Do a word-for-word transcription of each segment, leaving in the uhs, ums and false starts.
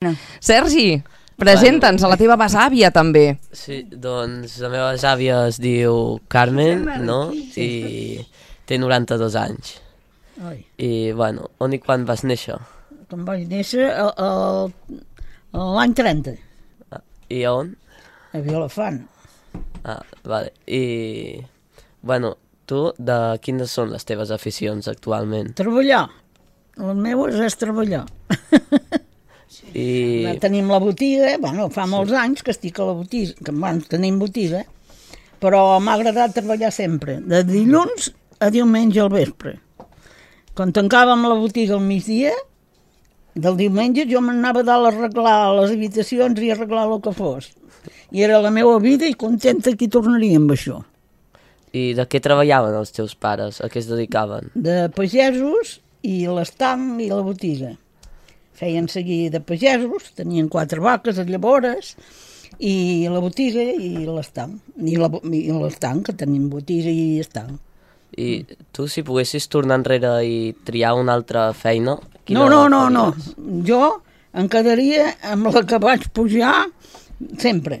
No. Sergi, presenta'ns a la teva besàvia també. Sí, doncs la meva besàvia es diu Carmen, no? I té noranta-dos anys. Ai. I, bueno, on i quan vas néixer? Quan vaig néixer l'any trenta, Ah, I a on? a Vilafant. Ah, vale. I, bueno, tu, de quines són les teves aficions actualment? Treballar. Les meves és treballar. I... Tenim la botiga, bueno, fa molts anys que estic a la botiga, que abans tenim botiga, però m'ha agradat treballar sempre, de dilluns a diumenge al vespre. Quan tancàvem la botiga al migdia, del diumenge jo m'anava a dalt a arreglar les habitacions i arreglar el que fos. I era la meva vida i contenta que hi tornaria amb això. I de què treballaven els teus pares? A què es dedicaven? De pagesos i l'estanc i la botiga. Feien seguir de pagesos, tenien quatre vaques a llavores, i la botiga i l'estanc. I l'estanc, que tenim botiga i estanc. I tu, si poguessis tornar enrere i triar una altra feina... No, no, no, no. Jo em quedaria amb la que vaig pujar sempre.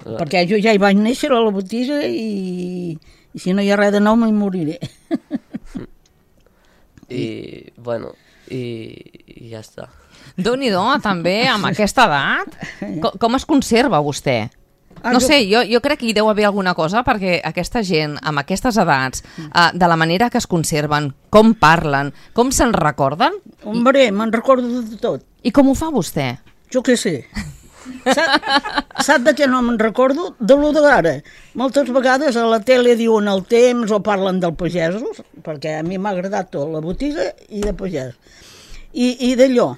Uh. Perquè jo ja hi vaig néixer a la botiga i, i si no hi ha res de nou me'n moriré. I, bueno, i, i ja està. Déu-n'hi-do, també, amb aquesta edat. Com, com es conserva vostè? Ah, No jo- sé, jo, jo crec que hi deu haver alguna cosa perquè aquesta gent, amb aquestes edats, eh, de la manera que es conserven, com parlen, com se'n recorden, Hombre, me'n recordo de tot. i com ho fa vostè? Jo què sé. Sap, sap de què no me'n recordo? De lo d'ara. Moltes vegades a la tele diuen el temps o parlen del pagesos, perquè a mi m'ha agradat tot, la botiga i de pagès. I, i d'allò.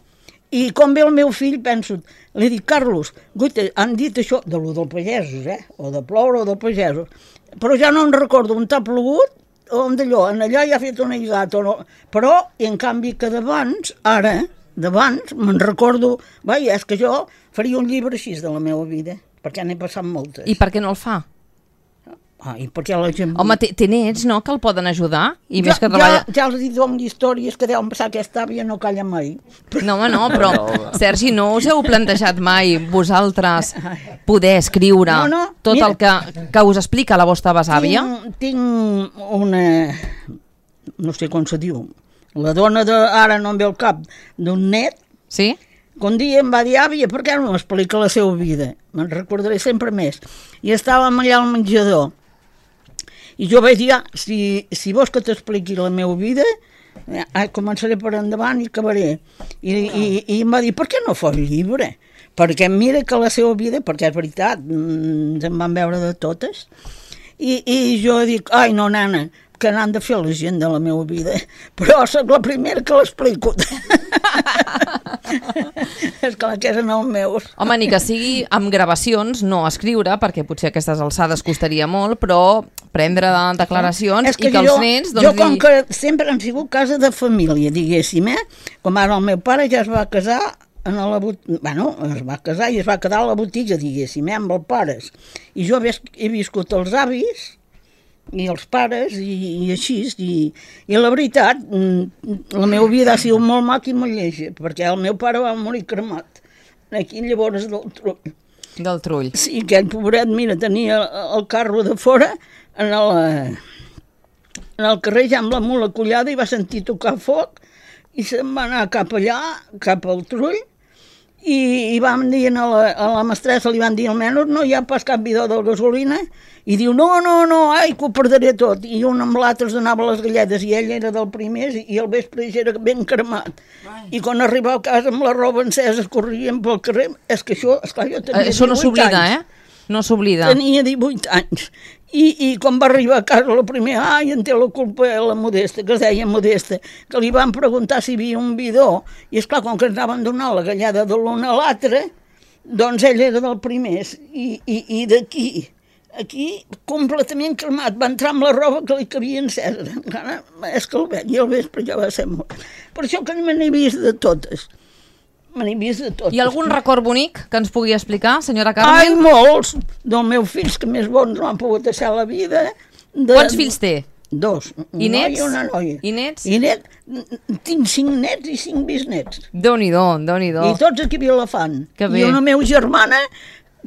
I com ve el meu fill, penso, li dic, Carlos, guaita, han dit això, de lo del pagesos, eh? O de ploure o del pagesos. Però ja no em recordo on t'ha plogut o on d'allò, en allà ja ha fet una lligat o no. Però, i en canvi que d'abans, ara, d'abans, me'n recordo, vaja, és que jo faria un llibre així de la meva vida, perquè n'he passat moltes. I per què no el fa? Ah, i perquè la gent... Home, té, té nets, no?, que el poden ajudar, i ja, més que treballa... ja, ja els he dit amb històries que deuen passar, aquesta àvia no calla mai. No, home, no, però, Sergi, no us heu plantejat mai vosaltres poder escriure No, no, tot mira. el que, que us explica la vostra besàvia? Tinc, tinc una... no sé com se diu. La dona de... ara no em ve al cap, d'un net, Sí? que un dia em va dir, àvia, per què no m'explica la seva vida? Me'n recordaré sempre més. I estàvem allà al menjador. I jo vaig dir, ah, si, si vols que t'expliqui la meva vida, eh, començaré per endavant i acabaré. I, i, i em va dir, per què no fas llibre? Perquè mira que la seva vida, perquè és veritat, ens en van veure de totes. I, i jo dic, ai, no, nana, que n'han de fer la gent de la meva vida, però soc la primera que l'explico. És clar que eren els meus. Home, ni que sigui amb gravacions, no escriure, perquè potser a aquestes alçades costaria molt, però prendre declaracions És que i que jo, els nens... jo Doncs, com dir- que sempre han sigut casa de família, diguéssim, eh? Com ara el meu pare ja es va casar en la botiga, bueno, es va casar i es va quedar a la botiga, diguéssim, eh? Amb els pares. I jo he, he viscut els avis i els pares i, i així, i, i la veritat, mm, la meva vida ha sigut molt maca i molt lleixa, perquè el meu pare va morir cremat, aquí llavors del trull. del trull. Sí, aquell pobret, mira, tenia el carro de fora en el, en el carrer ja amb la mula collada i va sentir tocar foc i se'n va anar cap allà, cap al trull, i, i vam dir a la, a la mestressa, li van dir almenys no hi ha pas cap bidó de gasolina, i diu no, no, no, ai, que ho perdré tot, i un amb l'altre es donava les galletes i ell era del primer i el vespre ja era ben cremat. I quan arribava a casa amb la roba encesa corrien pel carrer, és que això, esclar, jo tenia Això no divuit s'oblida, anys. eh? No s'oblida. Tenia divuit anys. I, I quan va arribar a casa la primera, ai, en té la culpa la Modesta, que es deia Modesta, que li van preguntar si hi havia un bidó, i esclar, com que ens anaven donant la gallada de l'un a l'altre, doncs ell era del primer, i, i, i d'aquí, aquí, completament cremat, va entrar amb la roba que li cabia encesa, encara, és que el veig, i el vespre ja va ser mort. Per això que me n'he vist de totes, me n'he vist de totes. I algun record bonic que ens pugui explicar, senyora Ai, Carmen? molts, dels meus fills que més bons no han pogut deixar la vida. De... Quants fills té? Dos. Un I noi nets? i una noia. I nets? I net, tinc cinc nets i cinc bisnets. Déu-n'hi-do, Déu-n'hi-do. I tots aquí a Vilafant. Que bé. I una meva germana,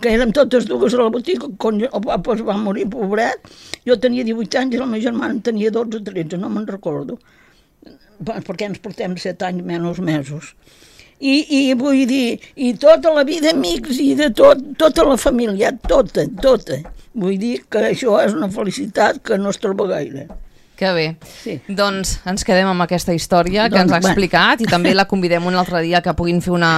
que érem totes dues a la botiga, quan el papa es va morir, pobret, jo tenia divuit anys i la meva germana en tenia dotze o tretze, no me'n recordo, perquè ens portem set anys menys mesos. I, i vull dir, i tota la vida amics i de tot, tota la família, tota, tota. Vull dir que això és una felicitat que no es troba gaire. Que bé. Sí. Doncs ens quedem amb aquesta història que Doncs, ens ha bueno. explicat i també la convidem un altre dia que puguin fer una,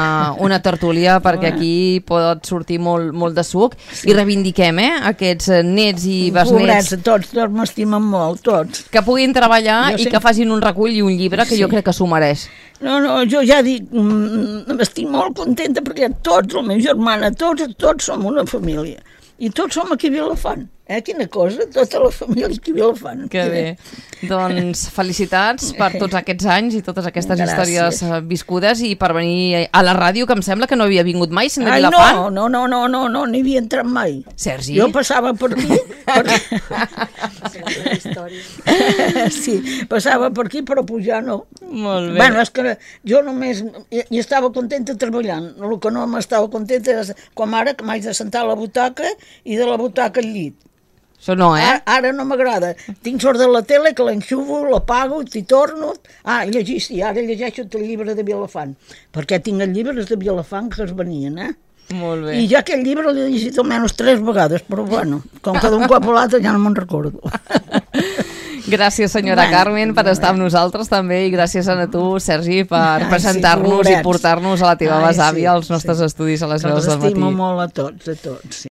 una tertúlia perquè aquí pot sortir molt, molt de suc i reivindiquem eh, aquests nets i besnets Pobrets, tots, tots m'estimen molt, tots. que puguin treballar Jo i sé. que facin un recull i un llibre que Sí. jo crec que s'ho mereix. No, no, jo ja dic, mm, estic molt contenta perquè tots, la meva germana, tots, tots som una família. I tots som aquí a Vilafant. Eh? Quina cosa, tota la família aquí a Vilafant. Que bé. Doncs felicitats per tots aquests anys i totes aquestes Gràcies. històries eh, viscudes i per venir a la ràdio, que em sembla que no havia vingut mai, sent de Ai, Vilafant. no, no, no, no, no, no, n'hi havia entrat mai. Sergi? Jo passava per aquí, perquè... sí, passava per aquí, però pujar no. Molt bé. Bueno, és que jo només hi, hi estava contenta treballant. El que no m'estava contenta és com ara que m'haig de sentar a la butaca i de la butaca al llit. Això no, eh? Ara, ara no m'agrada. Tinc sort de la tele que l'enxuvo, l'apago, t'hi torno... Ah, llegir, sí, ara llegeixo el llibre de Vilafant, perquè tinc els llibres de Vilafant que es venien, eh? Molt bé. I ja aquest llibre l'he llegit almenys tres vegades, però bueno, com que d'un cop a l'altre ja no me'n recordo. Gràcies, senyora Bueno, Carmen, per estar amb nosaltres també i gràcies a tu, Sergi, per Ai, sí, presentar-nos i pobrets. portar-nos a la teva Ai, besàvia sí, als nostres sí. estudis a les Que veus els del matí. estimo molt a tots, a tots, sí.